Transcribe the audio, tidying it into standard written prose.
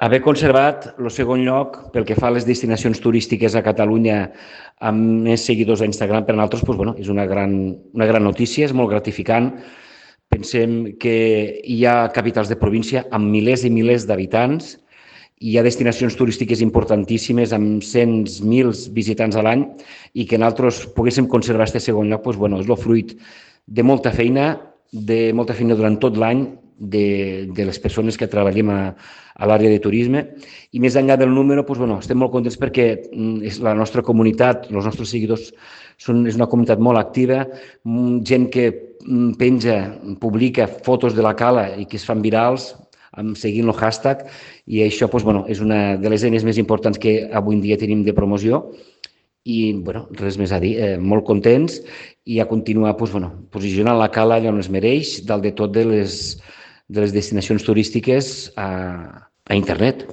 Haver conservat el segon lloc pel que fa a les destinacions turístiques a Catalunya amb més seguidors a Instagram per a nosaltres és una gran notícia, és molt gratificant. Pensem que hi ha capitals de província amb milers i milers d'habitants, hi ha destinacions turístiques importantíssimes amb cents, mils visitants a l'any i que nosaltres poguéssim conservar aquest segon lloc és el fruit de molta feina durant tot l'any de les persones que treballem a l'àrea de turisme i més enllà del número estem molt contents perquè la nostra comunitat, els nostres seguidors és una comunitat molt activa, gent que penja, publica fotos de la cala i que es fan virals seguint el hashtag i això és una de les eines més importants que avui en dia tenim de promoció i res més a dir, molt contents i a continuar posicionant la cala allà on es mereix, dalt de tot de les destinacions turístiques a internet.